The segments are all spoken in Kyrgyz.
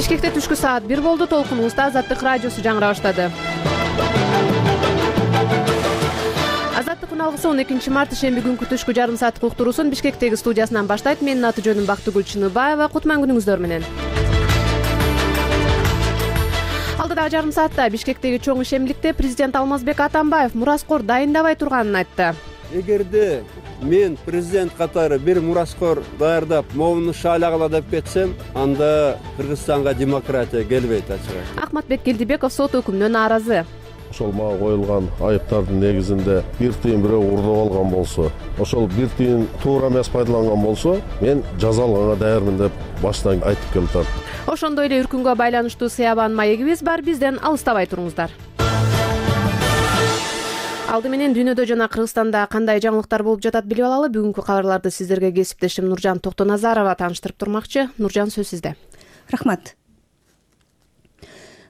Бишкекте түшкү саат 1 болду. Толкунубузда Азаттык радиосу жаңыра баштады. Азаттыктын алгысы 12 март шемби күнкү түшкү жарым сааттык уктуруусун Бишкектеги студиясынан баштайт. Менин аты жөнүм Бактыгүл Чыныбаева. Кутман күнүңүздөр менен. Алдыдагы жарым саатта Бишкектеги чоң ишембиликте президент Алмазбек Атамбаев мураскор дайындабай турганын айтты. Эгерде мен президент катары бир мураскор даярдап, моуну шаалагыла деп кетсем, анда Кыргызстанга демократия келбейт ачык. Акматбек Келдибеков сот өкүмүнөн нааразы. Ошол мага коюлган айыптардын негизинде бир тыйын бирөө уурдап алган болсо, ошол бир тыйын туура эмес пайдаланган болсо, мен жаза алганга даярмын деп баштан айтып келатам. Ошондой эле үркүнгө байланыштуу сыябан маегибиз бар, бизден алыстабай туруңуздар. Алды менен дүйнөдө жана Кыргызстанда кандай жаңылыктар болуп жатат билип алалы. Бүгүнкү кабарларды сиздерге кесиптешим Нуржан Токтоназарова тааныштырып турмакчы. Нуржан, сөз сизде. Рахмат.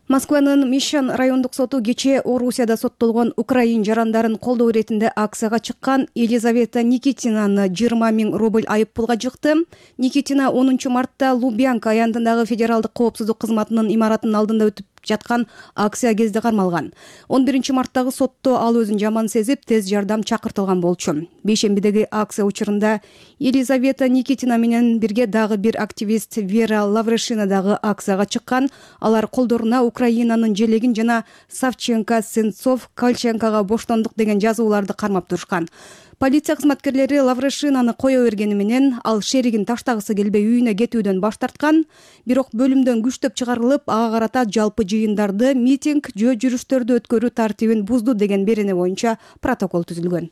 Москванын Мишан райондук соту кечээ Орусияда соттолгон украин жарандарын колдоо иретинде акцияга чыккан Елизавета Никитинаны 20 000 рубль айып пулга жыкты. Никитина 10 мартта Лубянка аянтындагы федералдык коопсуздук кызматынын имаратынын алдында өтүп жаткан акция кезде кармалган. 11 марттагы сотто ал өзүн жаман сезип, тез жардам чакыртылган болчу. Бейшембидеги акция учурунда Елизавета Никитина менен бирге дагы бир активист Вера Лаврешина дагы акцияга чыккан. Алар колдоруна Украинанын желегин жана Савченко, Сенцов, Кальченкага боштондук деген жазууларды кармап турушкан. Полиция кызматкерлери Лаврешинаны кое бергени менен ал шеригин таштагысы келбей үйүнө кетүүдөн баш тарткан. Бирок бөлүмдөн күчтөп чыгарылып, ага карата жалпы жыйындарды, митинг, жүрүштөрдү өткөрүү тартибин бузду деген берене боюнча протокол түзүлгөн.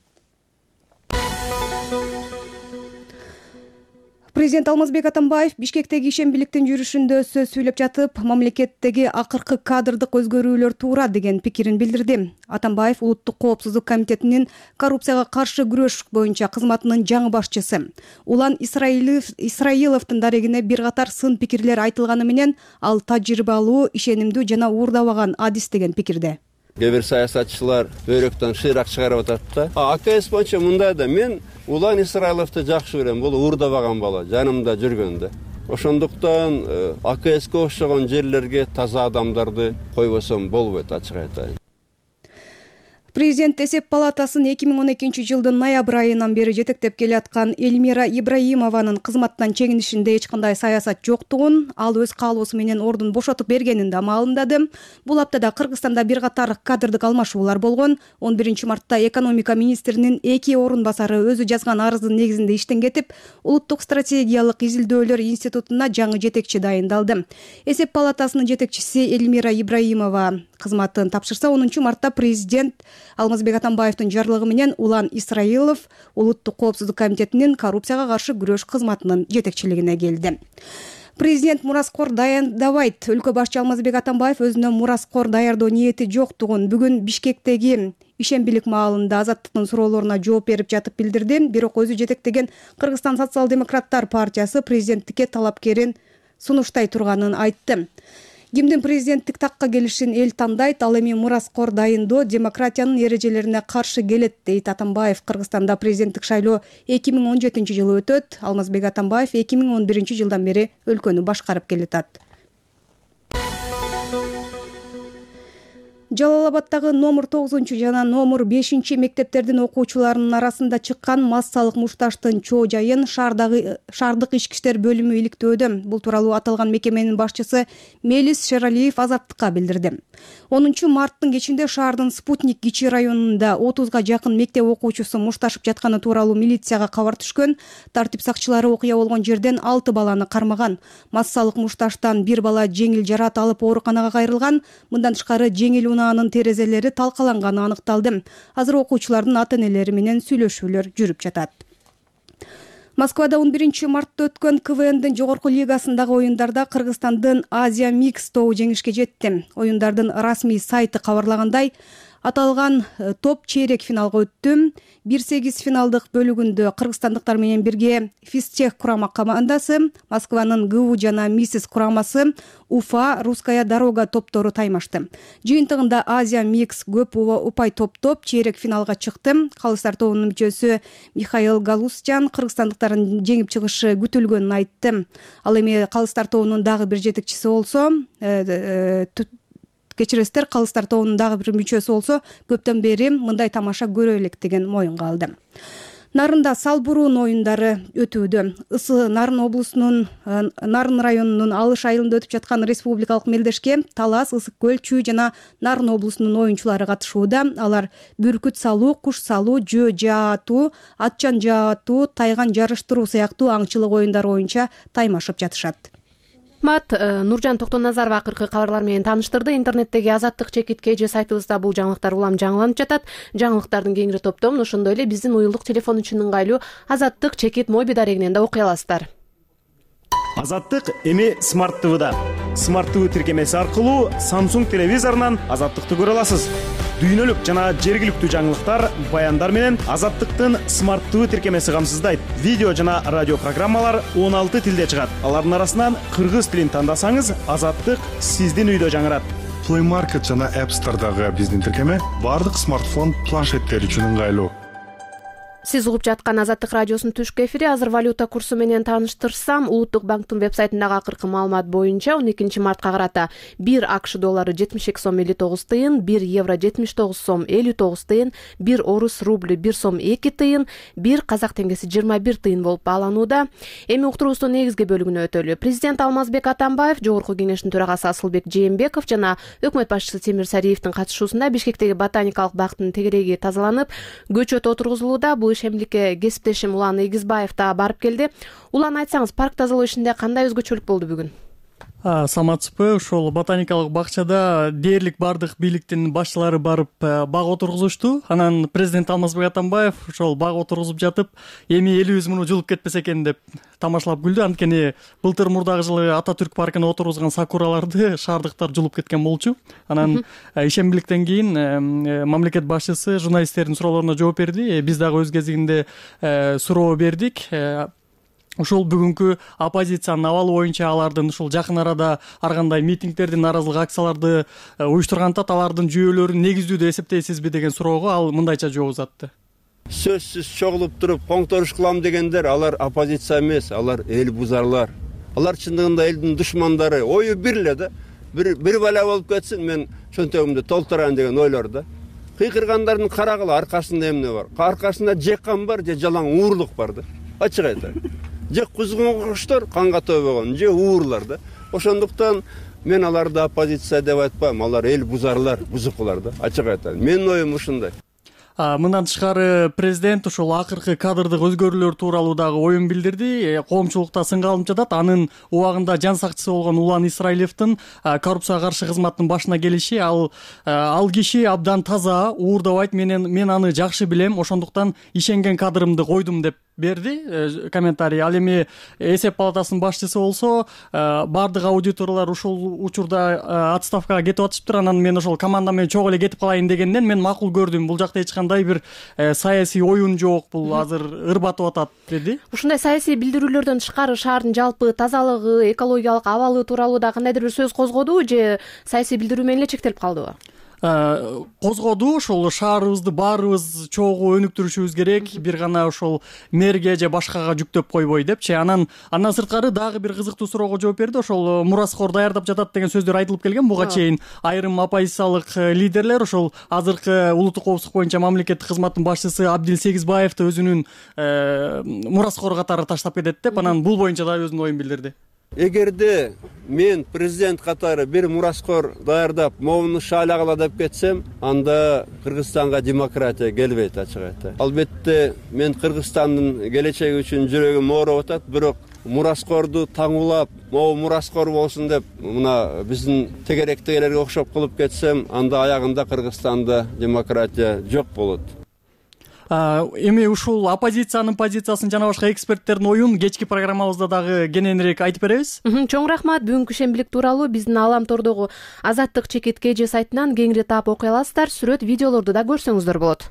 Президент Алмазбек Атамбаев Бишкектеги ишембиликтин жүрүшүндө сөз сүйлөп жатып, мамлекеттеги акыркы кадрдык өзгөрүүлөр туура деген пикирин билдирди. Атамбаев Улуттук коопсуздук комитетинин коррупцияга каршы күрөш боюнча кызматынын жаңы башчысы. Улан Исраиловдун дарегине бир катар сын пикирлер айтылганы менен ал тажрыйбалуу, ишенимдүү жана уурдабаган адис деген пикирде. Кээ бир саясатчылар өйрөктөн шыйрак чыгарып атат да. АКС боюнча мындай да, мен Улан Исраиловду жакшы көрөм, бул уурдабаган бала, жанымда жүргөн да. Ошондуктан АКСке окшогон жерлерге таза адамдарды койбосом болбойт, ачык айтайын. Президент эсеп палатасын 2012 жылдын ноябрь айынан бери жетектеп келаткан Эльмира Ибраимованын кызматтан чегинишинде эч кандай саясат жоктугун, ал өз каалоосу менен ордун бошотуп бергенин да маалымдады. Бул аптада Кыргызстанда бир катар кадрдык алмашуулар болгон. 11 мартта экономика министринин 2 орун басары өзү жазган арыздын негизинде иштен кетип, Улуттук стратегиялык изилдөөлөр институтуна жаңы жетекчи дайындалды. Эсеп палатасынын жетекчиси Эльмира Ибраимова кызматын тапшырса, 10 мартта президент Алмазбек Атамбаевдин жарлыгы менен Улан Исраилов Улуттук коопсуздук комитетинин коррупцияга каршы күрөш кызматынын жетекчилигине келди. Президент мураскор даярдабайт. Өлкө башчы Алмазбек Атамбаев өзүнө мураскор даярдоо ниети жоктугун бүгүн Бишкектеги ишембилик маалында Азаттыктын суроолоруна жооп берип жатып билдирди. Бирок өзү жетектеген Кыргызстан социал-демократтар партиясы президенттикке талапкерин сунуштай турганын айтты. Кимдин президенттик такка келишин эл тандайт, ал эми мураскор дайындоо демократиянын эрежелерине каршы келет, дейт Атамбаев. Кыргызстанда президенттик шайлоо 2017 жылы өтөт. Алмазбек Атамбаев 2011 жылдан бери өлкөнү башкарып келатат. Жалал-Абадтагы номер 9 жана номер 5 мектептердин окуучуларынын арасында чыккан массалык мушташтын чоо жайын шаардык ички иштер бөлүмү иликтөөдө. Бул тууралуу аталган мекеменин башчысы Мелис Шералиев Азаттыкка билдирди. 10 марттын кечинде шаардын Спутник кичи районунда 30га жакын мектеп окуучусу мушташып жатканы тууралуу милицияга кабар түшкөн. Тартип сакчылары окуя болгон жерден 6 баланы кармаган. Массалык мушташтан бир бала жеңил жараат алып ооруканага кайрылган. Мындан тышкары жеңил унаанын терезелери талкаланганы аныкталды. Азыр окуучулардын ата-энелери менен сүйлөшүүлөр жүрүп жатат. Москвада 11 мартта өткөн КВНдин жогорку лигасындагы оюндарда Кыргызстандын Азия Микс тобу жеңишке жетти. Оюндардын расмий сайты кабарлагандай, Аталган топ чейрек финалга өттү. 1-8 финалдык бөлүгүндө кыргызстандыктар менен бирге Физтех курама командасы, Москванын ГУ жана МИСИС курамасы, Уфа, Русская дорога топтору таймашты. Жыйынтыгында Азия Микс көп упай топ чейрек финалга чыкты. Калыстар тобунун мүчөсү Михаил Галустян кыргызстандыктардын жеңип чыгышы күтүлгөнүн айтты. Ал эми калыстар тобунун дагы бир жетекчиси болсо, кечиресиздер, калыстар тобунун дагы бир мүчөсү болсо, көптөн бери мындай тамаша көрө электигин моюнга алды. Нарында Салбуруун оюндары өтүүдө. Ысы Нарын облусунун Нарын районунун Алыш айылында өтүп жаткан республикалык мелдешке Талас, Ысык көл, Чүй жана Нарын облусунун оюнчулары катышууда. Алар бүркүт салуу, куш салуу, жөө жаатуу, атчан жаатуу, тайган жарыштыруу сыяктуу аңчылык оюндары боюнча таймашып жатышат. Нуржан Токтоназарова акыркы кабарлар менен тааныштырды. Интернеттеги Азаттык чекит KG сайтыбызда бул жаңылыктар улам жаңыланып жатат. Жаңылыктардын кеңири топтомун ошондой эле биздин уюлдук телефон үчүн ыңгайлуу Азаттык чекит моби дарегинен да окуй аласыздар. Азаттык эми Smart TV'да. Smart TV тиркемеси аркылуу Samsung телевизорунан Азаттыкты көрө аласыз. Дүйнөлүк жана жергиликтүү жаңылыктар, баяндар менен Азаттыктын Smart TV тиркемеси камсыздайт. Видео жана радио программалар 16 тилде чыгат. Алардын арасынан кыргыз тилин тандасаңыз, Азаттык сиздин үйдө жаңырат. Play Market жана App Store'дагы биздин тиркеме бардык смартфон, планшеттер үчүн ыңгайлуу. Сиз угуп жаткан Азаттык радиосунун түшкү эфири. Азыр валюта курсу менен тааныштырсам, Улуттук банктын вебсайтындагы акыркы маалымат боюнча 12 мартка карата 1 АКШ доллары 72 сом 59 тыйын, 1 евро 79 сом 59 тыйын, 1 орус рубль 1 сом 2 тыйын, 1 казак теңгеси 21 тыйын болуп бааланууда. Эми уктуруубуздун негизги бөлүгүнө өтөлү. Президент Алмазбек Атамбаев, Жогорку Кеңештин төрагасы Асылбек Жээнбеков жана өкмөт башчысы Темир Сариевдин катышуусунда Бишкектеги ботаникалык бактын тегереги тазаланып, көчөт отургузулууда. Бул ишемликке кесиптешим Улан Эгизбаев да барып келди. Улан, айтсаңыз, парк тазалоо ишинде кандай өзгөчөлүк болду бүгүн? Саматсызбы, ошол ботаникалык бакчада дээрлик бардык бийликтин башчылары барып бак отургузушту. Анан президент Алмазбек Атамбаев ошол бак отургузуп жатып, эми элибиз муну жулуп кетпесе экен деп тамашалап күлдү. Анткени былтыр мурдагы жылы Ататүрк паркына отургузган сакураларды шаардыктар жулуп кеткен болчу. Анан ишембиликтен кийин мамлекет башчысы журналисттердин суроолоруна жооп берди. Биз дагы өз кезегинде суроо бердик. Ошол бүгүнкү оппозициянын абалы боюнча алардын ушул жакын арада ар кандай митингдерди, нааразылык акцияларды уюштурганда алардын жүйөлөрүн негиздүү деп эсептейсизби деген суроого ал мындайча жооп узатты. Сөзсүз чогулуп туруп коңторуш кылам дегендер алар оппозиция эмес, алар эл бузарлар. Алар чындыгында элдин душмандары. Ою бир эле да. Бир бала болуп кетсин, мен чөнтөгүмдү толтурайын деген ойлор да. Кыйкыргандардын карагыла аркасында эмне бар? Аркасында жеккан бар, же жалаң уурлук бар да. Ачык айтайын. Же кузгун куштар канга төбөгөн, же уурлар да. Ошондуктан мен аларды оппозиция деп айтпайм, алар эл бузарлар, бузукулар да. Ачык айтайын. Менин оюм ушундай. Мындан тышкары президент ушул акыркы кадрдык өзгөрүүлөр тууралуу дагы оюн билдирди. Коомчулукта сынга алынып жатат. Анын убагында жан сакчысы болгон Улан Исраилевдин коррупцияга каршы кызматтын башына келиши, ал киши абдан таза, уурдабайт, мен аны жакшы билем, ошондуктан ишенген кадрымды койдум деп берди комментарий. Ал эми эсеп палатасынын башчысы болсо, бардык аудиторлор ушул учурда отставкага кетип атышыптыр. Анан мен ошол команда менен чогуу эле кетип калайын дегенден мен макул көрдүм. Бул жакта эч кандай бир саясий оюн жок, бул азыр ырбатып атат деди. Ушундай саясий билдирүүлөрдөн тышкары шаардын жалпы тазалыгы, экологиялык абалы тууралуу да кандайдыр бир сөз козгодубу же саясий билдирүү менен эле чектелип калдыбы? Козгоду. Ошол шаарыбызды баарыбыз чогуу өнүктүрүшүбүз керек, бир гана ошол мэрге же башкага жүктөп койбой депчи. Андан сырткары дагы бир кызыктуу суроого жооп берди. Ошол мураскор даярдап жатат деген сөздөр айтылып келген. Буга чейин айрым оппозициялык лидерлер ошол азыркы улуттук коопсуздук боюнча мамлекеттик кызматтын башчысы Абдил Сегизбаевди өзүнүн мураскор катары таштап кетет деп, анан бул боюнча да өзүнүн оюн билдирди. Эгерде мен президент катары бир мураскор даярдап, моуну шаалагыла деп кетсем, анда Кыргызстанга демократия келбейт, ачык айтайын. Албетте мен Кыргызстандын келечеги үчүн жүрөгүм ооруп атат, бирок мураскорду таңуулап, могу мураскор болсун деп, мына биздин тегеректегилерге окшоп кылып кетсем, анда аягында Кыргызстанда демократия жок болот. Эми ушул оппозициянын позициясын жана башка эксперттердин оюн кечки программабызда дагы кененирээк айтып беребиз. Чоң рахмат. Бүгүнкү ишембилик тууралуу биздин Алам тордогу Азаттык чекит КЖ сайтынан кеңири таап окуй аласыздар. Сүрөт, видеолорду да көрсөңүздөр болот.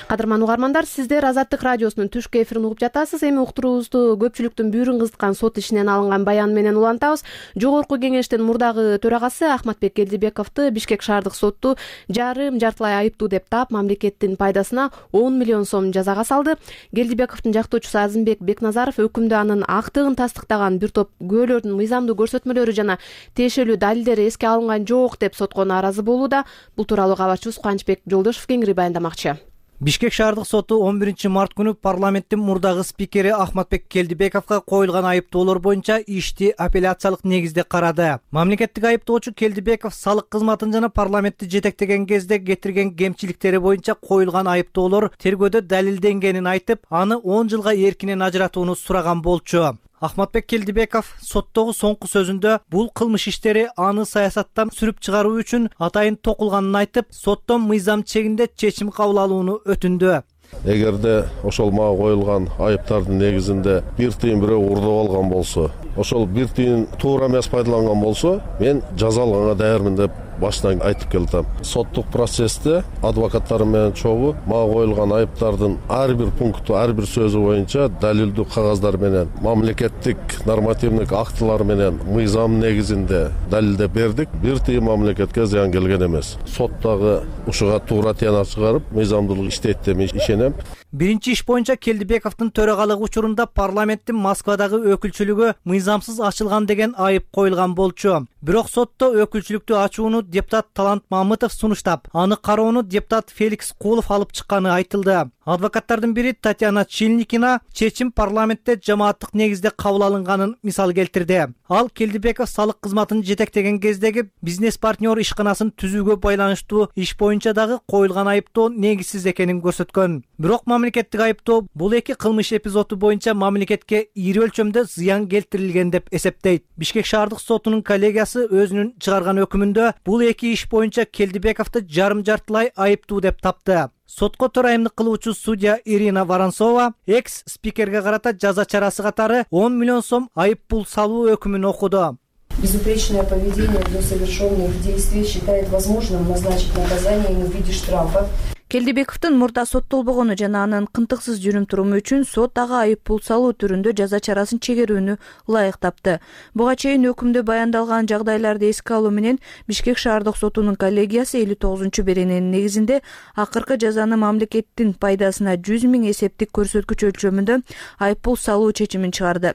Кадырман угармандар, сиздер Азаттык радиосунун түшкү эфирин угуп жатасыз. Эми уктуруубузду көпчүлүктүн бүйүрүн кызыткан сот ишинен алынган баян менен улантабыз. Жогорку кеңештин мурдагы төрагасы Ахматбек Келдибековду Бишкек шаардык соту жартылай айыптуу деп таап, мамлекеттин пайдасына 10 миллион сом жазага салды. Келдибековдун жактоочусу Азимбек Бекназаров өкүмдө анын актыгын тастыктаган бир топ күбөлөрдүн мыйзамдуу көрсөтмөлөрү жана тиешелүү далилдери эске алынган жок деп сотко нааразы болууда. Бул тууралуу кабарчыбыз Кубанычбек Жолдошов кеңири баяндамакчы. Бишкек шаардык соту 11 март күнү парламенттин мурдагы спикери Ахматбек Келдибековго коюлган айыптоолор боюнча ишти апелляциялык негизде карады. Мамлекеттик айыптоочу Келдибеков салык кызматын жана парламентти жетектеген кезде кетирген кемчиликтери боюнча коюлган айыптоолор тергөөдө далилденгенин айтып, аны 10 жылга эркинен ажыратууну сураган болчу. Ахматбек Келдибеков соттогу соңку сөзүндө бул кылмыш иштери аны саясаттан сүрүп чыгаруу үчүн атайын токулганын айтып, соттон мыйзам чегинде чечим кабыл алууну өтүндү. Эгерде ошол мага коюлган айыптардын негизинде бир тыйын бирөө урдап алган болсо, ошол бир тыйын туура эмес пайдаланган болсо, мен жаза алганга даярмын деп баштан айтып келдим. Соттук процессте адвокаттарым менен чогуу мага коюлган айыптардын ар бир пункту, ар бир сөзү боюнча далилдүү кагаздар менен, мамлекеттик нормативдик актылар менен мыйзам негизинде далилдеп бердик. Бир тыйын мамлекетке зыян келген эмес. Сот дагы ушуга туура тыянак чыгарып, мыйзамдуулук иштейт деп ишенем. Биринчи иш боюнча Келдибековдун төрагалыгы учурунда парламенттин Москвадагы өкүлчүлүгү мыйзамсыз ачылган деген айып коюлган болчу. Бирок сотто өкүлчүлүктү ачууну депутат Талант Мамытов сунуштап, аны кароону депутат Феликс Кулов алып чыкканы айтылды. Адвокаттардын бири Татьяна Чильникина чечим парламентте жамааттык негизде кабыл алынганын мисал келтирди. Ал Келдибеков салык кызматын жетектеген кездеги бизнес партнер ишканасын түзүүгө байланыштуу иш боюнча дагы коюлган айыптоо негизсиз экенин көрсөткөн. Бирок мамлекеттик айыптоо бул эки кылмыш эпизоду боюнча мамлекетке ири өлчөмдө зыян келтирилген деп эсептейт. Бишкек шаардык сотунун коллегиясы өзүнүн чыгарган өкүмүндө бул эки иш боюнча Келдибековду жарым-жартылай айыптуу деп тапты. Сотко төрайымдык кылуучу судья Ирина Воронцова экс-спикерге карата жаза чарасы катары 10 миллион сом айып пул салуу өкүмүн окуду. Безупречное поведение до совершенных действий считает возможным назначить наказание в виде штрафа. Келдибековдун мурда соттолбогону жана анын кынтыксыз жүрүм-туруму үчүн сот ага айып пул салуу түрүндө жаза чарасын чегерүүнү ылайык тапты. Буга чейин өкүмдө баяндалган жагдайларды эске алуу менен Бишкек шаардык сотунун коллегиясы 59-берененин негизинде акыркы жазаны мамлекеттин пайдасына 100 000 эсептик көрсөткүч өлчөмүндө айып пул салуу чечимин чыгарды.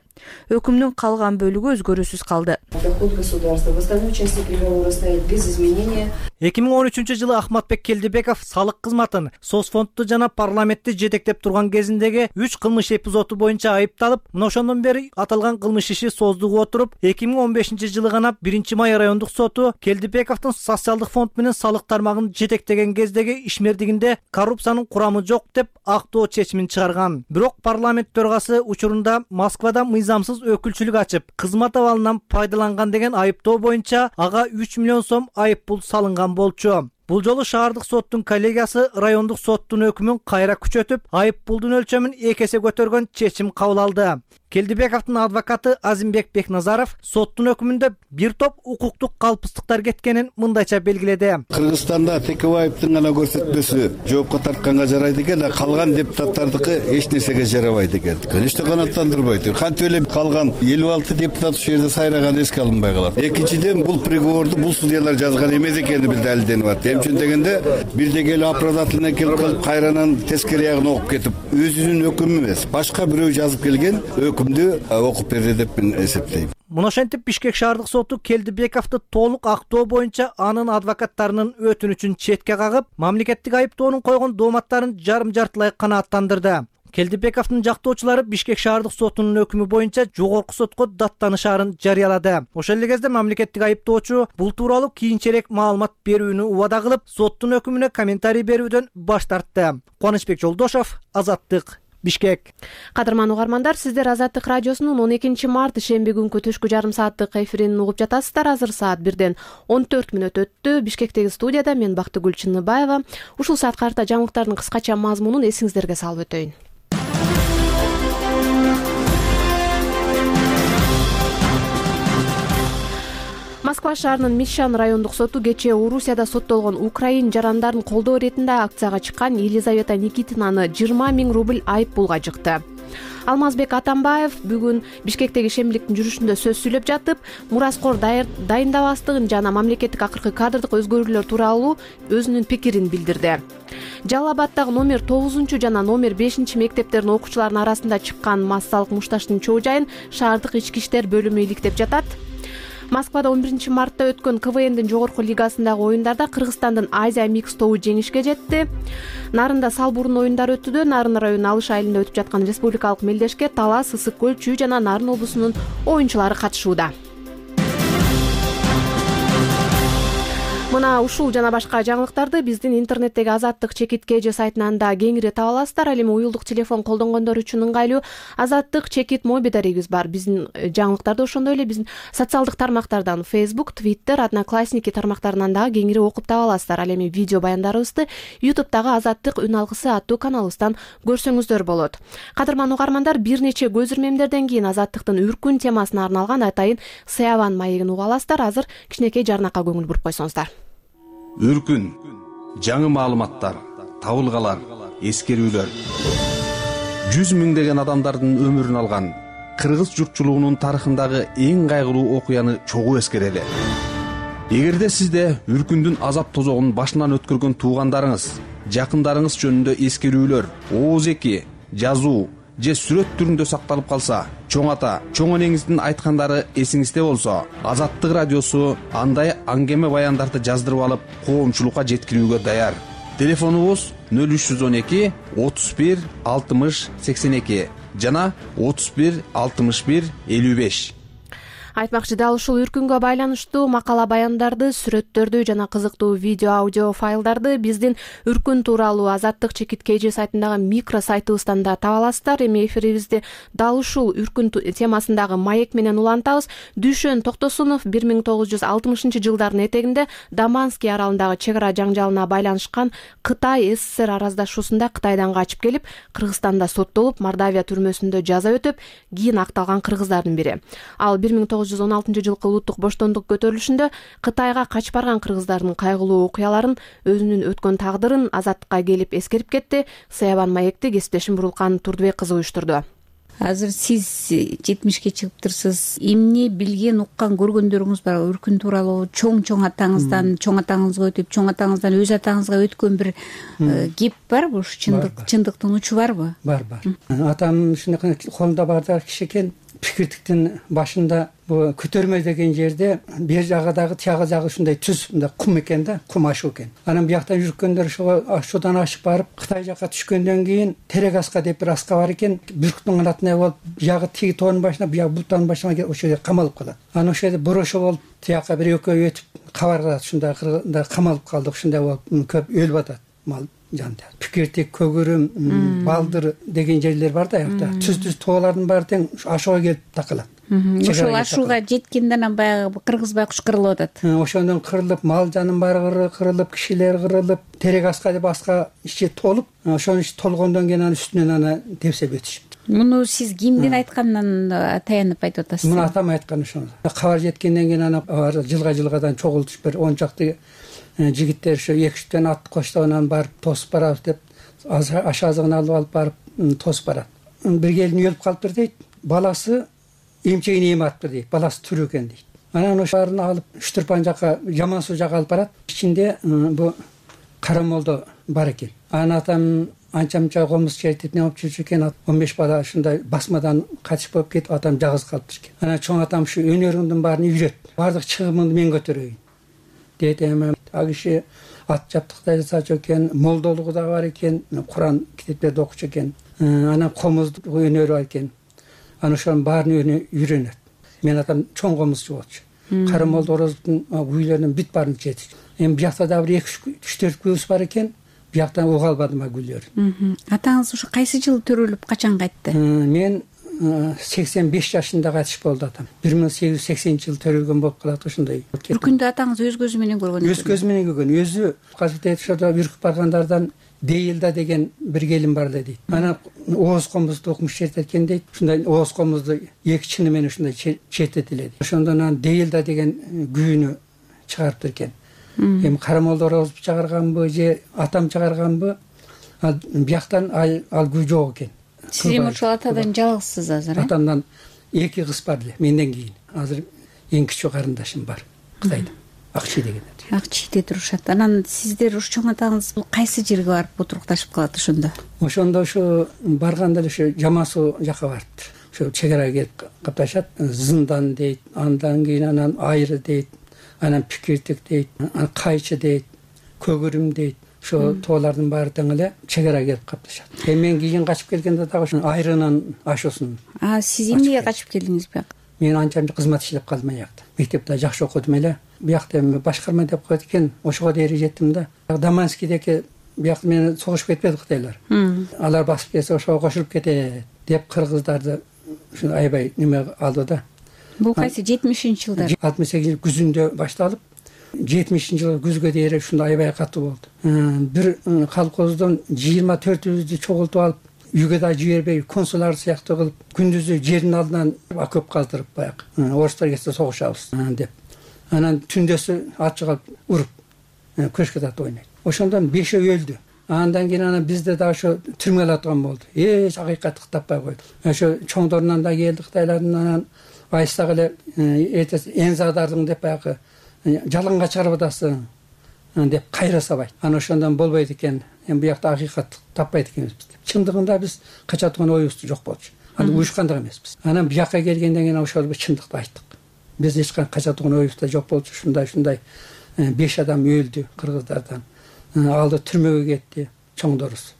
Өкүмдүн калган бөлүгү өзгөрүүсүз калды. Доход государства в остальной части приговора стоит без изменения. 2013-жылы Ахматбек Келдибеков салык кызматын, соцфондду жана парламентти жетектеп турган кезиндеги 3 кылмыш эпизоду боюнча айыпталып, мына ошондон бери аталган кылмыш иши создугуп отуруп, 2015-жылы гана 1-Май райондук соту Келдибековдун социалдык фонд менен салык тармагын жетектеген кездеги ишмердигинде коррупциянын курамы жок деп актоо чечимин чыгарган. Бирок парламент төрагасы учурунда Москвада мыйзамсыз өкүлчүлүк ачып, кызмат абалынан пайдаланган деген айыптоо боюнча ага 3 миллион сом айып пул салынган болчу. Бул жолу шаардык соттун коллегиясы райондук соттун өкүмүн кайра күчөтүп, айып пулдун өлчөмүн 2 эсе көтөргөн чечим кабыл алды. Келдибековдун адвокаты Азимбек Бекназаров соттун өкүмүндө бир топ укуктук калпыстыктар кеткенин мындайча белгиледи. Кыргызстанда Текебаевдин гана көрсөтмөсү жоопко тартканга жарайт экен, а калган депутаттардыкы эч нерсеге жарабайт экен. Конечно, канааттандырбайт. Кантип эле калган 56 депутат ушул жерде сайраган эске алынбай калат. Экинчиден, бул приговорду бул судьялар жазган эмес экени далилденип атат. Эмчүн дегенде бирде келип оправдательный кылып кайранан тескери ягын окуп кетип, өзүнүн өкүмү эмес, башка бирөө жазып келген окуп берди деп мен эсептейм. Мына ошентип Бишкек шаардык соту Келдибековду толук актоо боюнча анын адвокаттарынын өтүнүчүн четке кагып, мамлекеттик айыптоонун койгон дооматтарын жарым-жартылай канааттандырды. Келдибековдун жактоочулары Бишкек шаардык сотунун өкүмү боюнча жогорку сотко даттанышаарын жарыялады. Ошол эле кезде мамлекеттик айыптоочу бул тууралуу кийинчерээк маалымат берүүнү убада кылып, соттун өкүмүнө комментарий берүүдөн баш тартты. Кубанычбек Жолдошов, Азаттык. Бишкек. Кадырман угармандар, сиздер Азаттык радиосунун 12 март шемби күнкү түшкү жарым сааттык эфирин угуп жатасыздар. Азыр саат 1-ден 14 мүнөт өттү. Бишкектеги студияда мен Бактыгүл Чыныбаева. Ушул саат карта жаңылыктардын кыскача мазмунун эсиңиздерге салып өтөйүн. Москва шаарынын Мишан райондук соту кечээ Орусияда соттолгон украин жарандарын колдоо иретинде акцияга чыккан Елизавета Никитинаны 20 000 рубль айып пулга жыкты. Алмазбек Атамбаев бүгүн Бишкектеги шембиликтин жүрүшүндө сөз сүйлөп жатып, мураскор дайындабастыгын жана мамлекеттик акыркы кадрдык өзгөрүүлөр тууралуу өзүнүн пикирин билдирди. Жалал Абаддагы номер 9 жана номер 5 мектептердин окуучуларынын арасында чыккан массалык мушташтын чоо жайын шаардык ички иштер бөлүмү иликтеп жатат. Москвада 11 мартта өткөн КВНдин жогорку лигасындагы оюндарда Кыргызстандын Азия Микс тобу жеңишке жетти. Нарында Салбурун оюндары өтүүдө. Нарын районунун Алыш айылында өтүп жаткан республикалык мелдешке Талас, Ысык көл, Чүй жана Нарын облусунун оюнчулары катышууда. Мына ушул жана башка жаңылыктарды биздин интернеттеги Азаттык чекит КЖ сайтынан да кеңири таба аласыздар. Ал эми уюлдук телефон колдонгондор үчүн ыңгайлуу Азаттык чекит мобилдарыбыз бар. Биздин жаңылыктарды ошондой эле биздин социалдык тармактардан Facebook, Twitter, Одноклассники тармактарынан дагы кеңири окуп таба аласыздар. Ал эми видео баяндарыбызды YouTube'дагы Азаттык үн алгысы аттуу каналыбыздан көрсөңүздөр болот. Кадырман угармандар, бир нече көз ирмемдерден кийин Азаттыктын үркүн темасына арналган атайын Саябан маегин уга аласыздар. Азыр кичинекей жарнакка көңүл буруп койсоңуздар. Үркүн, жаңы маалыматтар, табылгалар, эскерүүлөр. 100 миңдеген адамдардын өмүрүн алган кыргыз журтчулугунун тарыхындагы эң кайгылуу окуяны чогуу эскерели. Эгерде сизде үркүндүн азап тозогун башынан өткөргөн туугандарыңыз, жакындарыңыз жөнүндө эскерүүлөр, ооз-эки, жазуу же сүрөт түрүндө сакталып калса, чоң ата, чоң энеңиздин айткандары эсиңизде болсо, Азаттык радиосу андай аңгеме баяндарды жаздырып алып, коомчулукка жеткирүүгө даяр. Телефонубуз 0312 31 60 82 жана 31 61 55. Айтмакчы, дал ушул үркүнгө байланыштуу макала баяндарды, сүрөттөрдү жана кызыктуу видео аудио файлдарды биздин үркүн тууралуу Азаттык чекит КЖ сайтындагы микро сайтыбыздан да таба аласыздар. Эми эфирибизди дал ушул үркүн темасындагы маек менен улантабыз. Дүйшөн Токтосунов 1960 жылдардын этегинде Даманский аралындагы чек ара жаңжалына байланышкан Кытай СССР араздашуусунда Кытайдан качып келип, Кыргызстанда соттолуп, Мордавия түрмөсүндө жаза өтүп, кийин акталган кыргыздардын бири. Ал 1916 жылкы улуттук боштондук көтөрүлүшүндө Кытайга качып барган кыргыздардын кайгылуу окуяларын, өзүнүн өткөн тагдырын Азаттыкка келип эскерип кетти. Саябан маекти кесиптешим Бурулкан Турдубек кызы уюштурду. Азыр сиз 70ке чыгыптырсыз. Эмне билген, уккан, көргөндөрүңүз бар? Үркүн тууралуу чоң атаңыздан, чоң атаңызга өтүп, чоң атаңыздан өз атаңызга өткөн бир кеп барбы? Ушу чындыктын учу барбы? Бар. Атам ушундай колунда бардыр киши экен. Пикиртиктин башында бу көтөрмө деген жерде бер жагыдагы тияга жагы ушундай түз, мындай кум экен да, кум ашуу экен. Анан бияктан жүргөндөр ашуудан ашып барып Кытай жакка түшкөндөн кийин Терек аска деп бир аска бар экен. Бүркүттүн канатындай болуп, биягы тиги тоонун башына, биягы буттанын башына ошол жерде камалып калат. Анан ошол жерде борошо болуп, тияка бир экөө өтүп кабарат, ушундай камалып калдык, ушундай болуп көп өлүп атат мал жанында. Пикиртик, көгүрүм, балдыр деген жерлер бар да, аякта. Түз тоолардын баары тең ашууга келип такалат. Ошол ашууга жеткенден анан баягы кыргыз байкуш кырылып атат. Ошондон кырылып, мал жанын баары кырылып, кишилер кырылып, Терек аска деп аска ичи толуп, ошонун ичи толгондон кийин анын үстүнөн аны тепсеп өтүшүптү. Муну сиз кимдин айтканынан таянып айтып атасыз? Муну атам айткан ошону. Кабар жеткенден кийин аны жылга-жылгадан чогултуп бир 10 чакты жигиттер ошо 2-3 ат коштоп анан барып тосуп барабыз деп аш азыгын алып барып тосуп барат. Бир келин өлүп калыптыр дейт. Баласы эмчегин эми атыптыр дейт. Баласы тирүү экен дейт. Анан ошоларын алып Үчтүрпан жакка, Жаман суу жакка алып барат. Ичинде бу карамолдо бар экен. Анан атам анча-мынча комуз чертип алып жүрчү экен. 15 бала ушундай басмадан качып болуп кетип, атам жалгыз калыптыр экен. Анан чоң атам ушу өнөрүңдүн баарын үйрөт. Бардык чыгымыңды мен көтөрөйүн дейт. А киши ат жаптыкта жасачу экен, молдолугу да бар экен, Куран китептерди окучу экен. Анан комуз өнөрү бар экен. Анан ошонун баарын үйрөнөт. Мен атам чоң комузчу болчу. Кары молдо Орозовдун үйлөрүнүн бүт баарын жетти. Эми биякта да бир 2-3-4 күйөөбүз бар экен. бияктан уга албадым гүлөрүн. Атаңыз ушу кайсы жылы төрөлүп качан кайтты? Мен 85 жашында кайтыш болду атам. 1880-жылы төрөлгөн болуп калат ошондой. Үркүндү атаңыз өз көзү менен көргөн. Өз көзү менен көргөн. Өзү казырда ошодо үркүп баргандардан Дейилда деген бир келин бар дейт. Анан ооз комузду окумуш жеткен дейт. Ушундай ооз комузду эки чыны менен ушундай чететилет. Ошондон анан Дейилда деген күйүнү чыгарыптыр экен. Эми карамолдор ооз чыгарганбы же атам чыгарганбы? Бияктан ал күй жок экен. Сиз эми ошол атадан жалгызсыз азыр? Атамдан эки кыз бар эле, менден кийин. Азыр эң кичүү карындашым бар. Кытайда. Акчи деген. Акчиде турушат. Анан сиздер ушу чоң атаңыз кайсы жерге барып отурукташып калат ошондо? Ошондо ушу барганда эле ушу Жамасуу жака барыптыр. Ошо чегерага келип капташат. Зындан дейт, андан кийин анан Айры дейт, анан Пикиртик дейт, анан Кайчы дейт, Көгүрүм дейт. Ошо тоолардын баары тең эле чегерага келип капташат. Мен кийин качып келгенде дагы ошо Айрынын ашуусун. Сиз эмнеге качып келдиңиз бияка? Мен анча кызмат иштеп калдым аякта. Мектепте жакшы окудум эле. Биякта эми башкарма деп коет экен, ошого дейин жеттим да. Даманскийдеки биякта мени согушуп кетпеди Кытайлар. Алар басып келсе ошого кошулуп кетет деп кыргыздарды ушундай аябай неме алды да. Бул кайсы 70-жылдар? 68 күзүндө башталып, 70-жылы күзгө дейин ушундай аябай катуу болду. Бир колхоздон 24-үбүздү чогултуп алып, үйгө да жибербей, консулар сыяктуу кылып, күндүзү жердин алдынан окоп каздырып баягы. Орустар келсе согушабыз деп. Анан түндөсү ачык алып уруп, көчкө тартып ойнойт. Ошондон 5 өлдү. Андан кийин анан бизде да ошо түрмөгө аткан болду. Эч акыйкатты таппай койду. Ошо чоңдорунан да келди Кытайлардын, анан айсак эле Энзадардын деп баягы жаланга чыгарып атасың деп кайра сабайт. Анан ошондон болбойт экен. Эми буякта акыйкат таппайт экенбиз. Чындыгында биз кача турган оюбуз жок болчу. Аны уюшкандык эмеспиз. Анан буякка келгенден кийин ошол чындыкты айттык. Биз эч качан кача турган оюбуз да жок болчу. Ушундай 5 адам өлдү кыргыздардан. Алды түрмөгө кетти чоңдорубуз.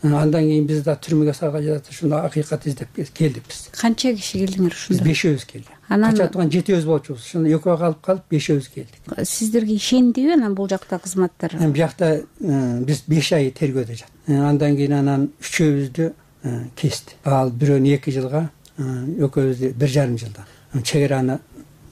Андан кийин биз да түрмөгө салган жатат. Ушундай акыйкат издеп келдик биз. Канча киши келдиңер ушунда? Биз 5 келди. Кача турган 7 болчубуз. Ошондо экөө калып 5 келдик. Сиздерге ишендиби анан бул жакта кызматтар? Буякта биз 5 ай тергөөдө жат. Андан кийин анан 3-үбүздү кести. Ал бирөөнү 2 жылга, экөөбүздү 1,5 жылдан. Чегераны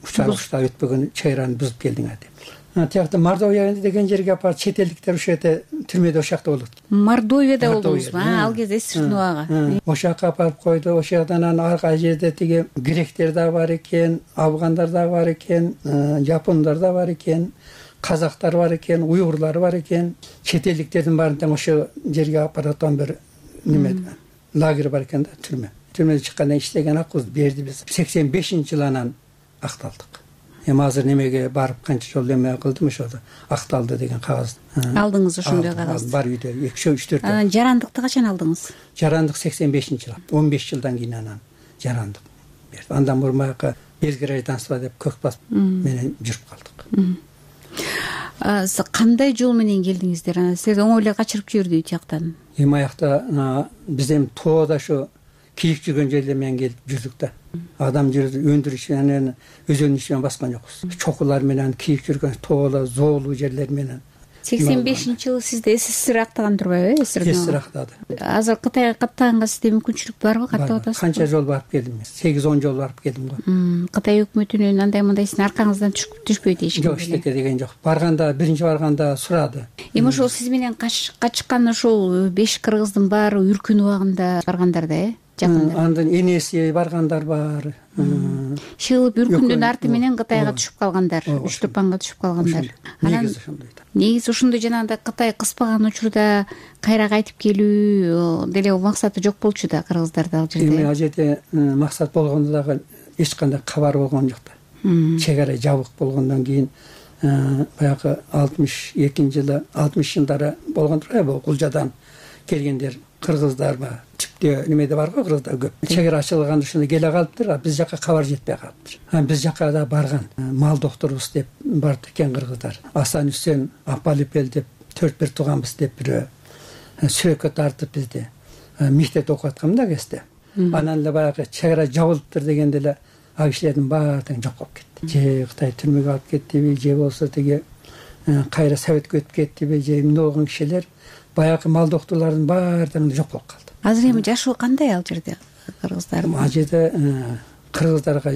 учарышта өтпөгөн чегераны бузуп келдиңер деп. Тиякта Мордовия деген жерге апарып чет элдиктер ошол жерде түрмөдө ошакта болот. Мордовияда болдуңузбу? Ал кезде эсиктин убагы. Ошакка апарып койду. Ошол жактан анан арка жерде тиги гректер да бар экен, афгандар да бар экен, жапондар да бар экен, казактар бар экен, уйгурлар бар экен. Чет элдиктердин баарын тең ошол жерге апарып аткан бир неме лагерь бар экен да, түрмө. Түрмөдөн чыккандан иштеген акыбыз берди биз. 85-жылы анан акталдык. Эми азыр немеге барып канча жол эме кылдым, ошодо акталды деген кагаз алдыңыз. Ошондой кагаз бар үйдө 2-3-4. Анан жарандыкты качан алдыңыз? Жарандык 85-жылы. 15 жылдан кийин анан жарандык берди. Андан мурун баягы безгражданство деп көк бас менен жүрүп калдык. Кандай жол менен келдиңиздер? Анан силерди оңой эле качырып жиберди жактан? Эми аякта биз эми тоода ошо кийик жүргөн жерде менен келип жүрдүк да. Адам жүрдү өндүрүш менен өзөнүн ичи менен баскан жокпуз. Чокулар менен кийик жүргөн тооло, зоолуу жерлер менен. 85-жылы сизде СССР актаган турбайбы? СССР актады. Азыр Кытайга каттаганга сизде мүмкүнчүлүк барбы? Каттап атасызбы? Канча жол барып келдим мен. 8-10 жол барып келдим го. Кытай өкмөтүнүн андай-мындай сиздин аркаңыздан түшпөйт эч ким? Жок, эчтеке деген жок. Барганда, биринчи барганда сурады. Эми ошол сиз менен качкан ошол 5 кыргыздын баары үркүн убагында баргандар да, Андан энеси баргандар бар. Шылып үркүндүн арты менен Кытайга түшүп калгандар, Үч-Тупанга түшүп калгандар. Негизи ошондой. Негизи ошондой жанагындай Кытай кыспаган учурда кайра кайтып келүү деле максаты жок болчу да кыргыздарды ал жерде. Эми ал жерде максат болгондо дагы эч кандай кабар болгон жок да. Чегара жабык болгондон кийин баягы 62-жылы, 60-жылдары болгон турбайбы, Кулжадан келгендер кыргыздар ба, типтөө немеде бар го кыргыздар көп. Чегара ачылганда ушунда келе калыптыр, биз жака кабар жетпей калыптыр. Биз жака да барган. Мал докторубуз деп барып экен кыргыздар. Асан Үсен, Апалипел деп 4 тууганбыз деп бирөө сүрөккө тартып бизди мектепте окуп аткам да кезде. Анан эле баягы чегара жабылыптыр дегенде эле ал кишилердин баары тең жок болуп кетти. Же Кытай түрмөгө алып кеттиби, же болсо тиги кайра Советке өтүп кеттиби, же эмне болгон кишилер баягы мал доктурлардын баардыгы жок болуп калды. Азыр эми жашоо кандай ал жерде кыргыздардын? Ал жерде кыргыздарга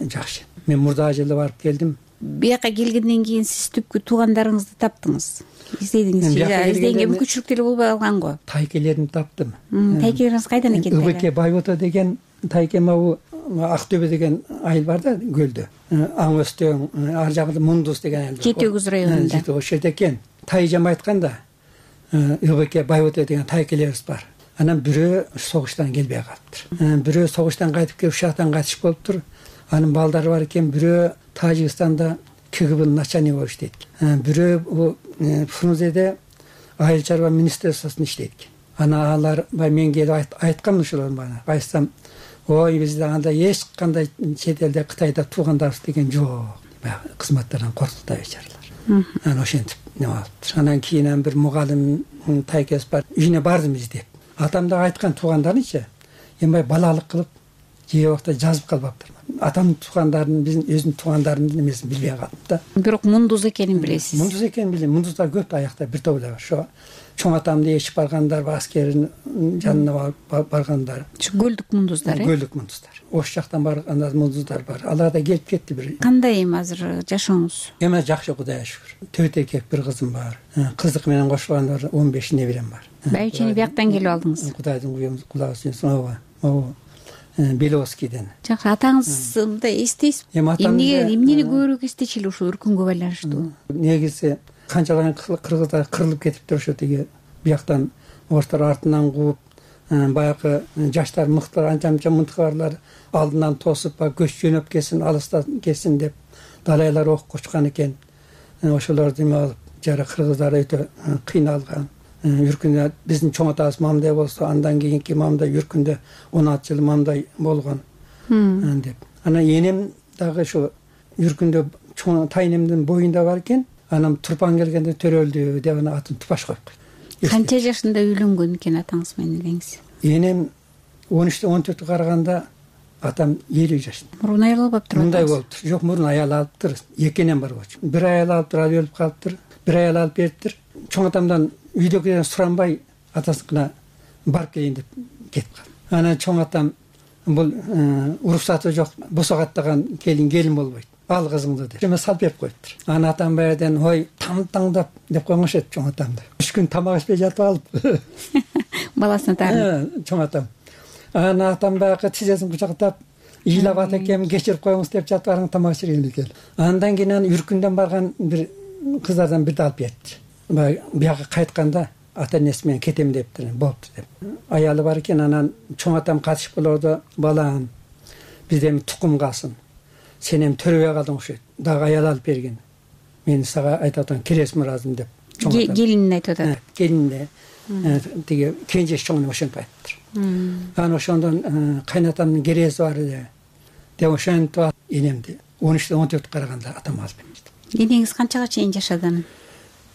жакшы. Мен мурдагы жылы барып келдим. Бияка келгенден кийин сиз түпкү туугандарыңызды таптыңыз, издедиңиз. Издегенге мүмкүнчүлүк деле болбой калган го. Тайкелеримди таптым. Тайкелериңиз кайдан экен? ыбк Байбота деген тайкем, Актөбө деген айыл бар да, көлдө. Аң Өстөң, ар жагында Мундуз деген айыл. Жети Өгүз районунда. Ошол жерде экен. Тайжам айтканда ыбк Байбота деген тайкелерибиз бар. Анан бирөө согуштан келбей калыптыр. Бирөө согуштан кайтып келип шаhtан кайтышып болуптур. Анын балдары бар экен. Бирөө Тажикстанда КГБнын начальниги болуп иштейт. Бирөө Фрунзеде айыл чарба министрлствосунда иштейт экен. Ана алар мен келип айткам ошолордун баана. Айтсам, ой, бизде анда эч кандай чет элде Кытайда туугандарыбыз деген жок. Баягы кызматтардан корктук да бечаралар. Анан ошентип неме алыптыр. Анан кийин бир мугалим тайкес бар. Үйүнө бардым издеп. Атам да айткан туугандарынча, эми балалык кылып, же убакта жазып калбаптыр. Атам туугандарын, биздин өзүнүн туугандарынын эмесин билбей калдым да. Бирок Мундуз экенин билесиз. Мундуз экенин билем. Мундуздар көп аякта, бир топ эле бар. Ошо чоң атамды ээрчип баргандар, аскердин жанына баргандар. Ушу көлдүк мундуздар, Көлдүк мундуздар. Ош жактан барган мундуздар бар. Алар да келип кетти бир. Кандай эми азыр жашооңуз? Эми жакшы, Кудайга шүгүр. 4 эркек, 1 кызым бар. Кыздык менен кошулганда 15 неберем бар. Байчени бияктан келип алдыңыз. Кудайдын кулагы сүйүнсүн. Ооба. Беловскийден. Жакшы, атаңызды мындай эстейсизби? Эмнени көбүрөөк эстечү эле ушул үркүнгө байланыштуу? Негизи канчалаган кыргыздар кырылып кетиптир ошо тиги бияктан орустар артынан кууп, баягы жаштар мыктылар, анча-мынча мынтыгарлар алдынан тосуп, көч жөнөп кетсин, алыстан кетсин деп далайлар окуп кочкан экен. Ошолорду эме алып, жара кыргыздар өтө кыйналган. Үркүндө биздин чоң атабыз мамдай болсо, андан кийинки мамдай үркүндө 16 жыл мамдай болгон деп. Анан энем дагы ошо үркүндө чоң тайнемдин боюнда бар экен. Анан Турпан келгенде төрөлдү деп аны атын Тупаш коюп койду. Канча жашында үйлөнгөн экен атаңыз менен элеңиз? Энем 13-те 14 караганда, атам 50 жашында. Мурун аял албаптыр. Мындай болуптур. Жок, мурун аял алыптыр. Эки энем бар болчу. Бир аял алыптыр, ал өлүп калыптыр. Бир аял алып бериптир. Чоң атамдан үйдөгүлөрдөн суранбай атасына барып келейин деп кетип калды. Анан чоң атам бул уруксаты жок, босогаттаган келин болбойт. Ал кызыңды деп. Эме салып берип коюптур. Анан атам баягыдан ой, таңдап деп койгоншет чоң атамды. 3 күн тамак ичпей жатып алып. Баласына тагын. Чоң атам. Анан атам баягы тизесин кучактап, ыйлап ат экем, кечирип коюңуз деп жатып барган тамак ичирген экен. Андан кийин үркүндөн барган бир кыздардан бирди алып берди. Бияга кайтканда ата энеси менен кетем дептир, болупту деп. Аялы бар экен, анан чоң атам катышып болорду, балам, бизде тукум калсын. Сен эми төрөбөй калдың окшойт. Дагы аял алып берген. Мен сага айтып атам, келесиң ыраазымын деп. Келинин айтып атат. Келинде тиги кенжеш чоңун ошентип айтыптыр. Анан ошондон кайнатамдын кереси бар эле деп ошентип энемди 13-те 14 караганда атам алып берди. Энеңиз канчага чейин жашады?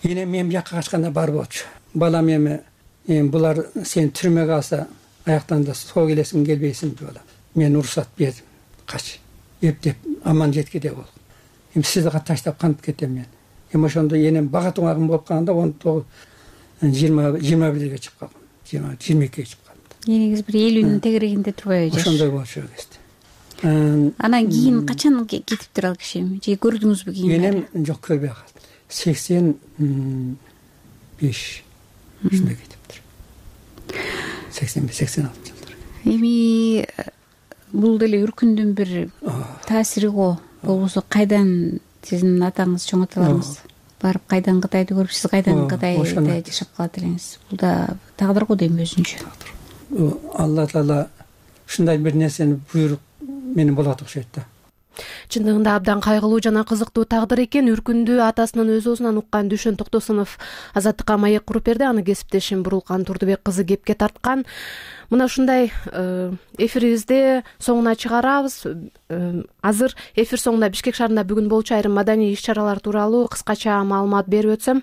Энем мен бияка качканда бар болчу. Балам эми булар сен түрмөгө алса, аяктан да соо келесиң, келбейсиң деп. Мен уруксат бердим. Кач. Эптеп аман жеткиде болду. Эми сизди таштап кантип кетем мен. Эми ошондо энем бага тугагым болуп калганда 21-ге чыгып калгам. 22-ге чыгып калдым. Энеңиз бир 50-нын тегерегинде турбайбы жаш? Ошондой болчу кезде. Анан кийин качан кетиптир ал киши? Же көрдүңүзбү кийин? Энем жок, көрбөй калды. 85 ушундай кетиптир. 85-86 жылдар. Эми бул деле үркүндүн бир таасири го. Болбосо кайдан сиздин атаңыз, чоң аталарыңыз барып кайдан Кытайды көрүп, сиз кайдан Кытайда жашап калат элеңиз? Бул да тагдыр го дейм, өзүнчө. Алла Таала ушундай бир нерсени буйрук менен болот окшойт да. Чындыгында абдан кайгылуу жана кызыктуу тагдыр экен. Үркүндү атасынын өз оозунан уккан Дүшөн Токтосунов Азаттыкка маек куруп берди. Аны кесиптешим Бурулкан Турдубек кызы кепке тарткан. Мына ушундай эфирибизде соңуна чыгарабыз. Азыр эфир соңунда Бишкек шаарында бүгүн болчу айрым маданий иш-чаралар тууралуу кыскача маалымат берип өтсөм.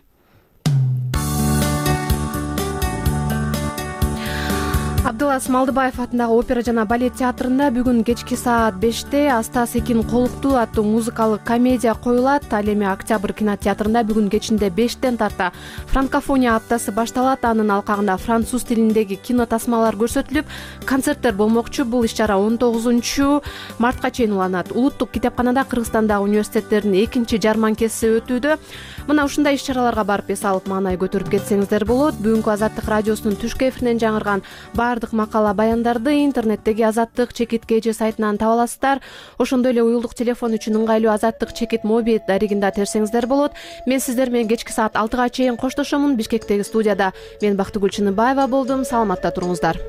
Абдылас Малдыбаев атындагы опера жана балет театрында бүгүн кечки саат 5-те Аста Секин Колукту аттуу музыкалык комедия коюлат. Ал эми Октябрь кинотеатрында бүгүн кечинде 5-тен тарта франкофония аптасы башталат. Анын алкагында француз тилиндеги кино тасмалар көрсөтүлүп, концерттер болмокчу. Бул иш-чара 19-мартка чейин уланат. Улуттук китепканада Кыргызстандагы университеттердин экинчи жарманкеси өтүүдө. Мына ушундай иш-чараларга барып эс алып маанай көтөрүп кетсеңиздер болот. Бүгүнкү Азаттык радиосунун түшкү эфиринен жаңырган баардык макала баяндарды интернеттеги Азаттык чекит KG сайтынан таба аласыздар. Ошондой эле уюлдук телефон үчүн ыңгайлуу Азаттык чекит мобиль дарегинде терсеңиздер болот. Мен сиздер менен кечки саат 6-га чейин коштошомун. Бишкектеги студияда мен Бактыгүл Чыныбаева болдум. Саламатта туруңуздар.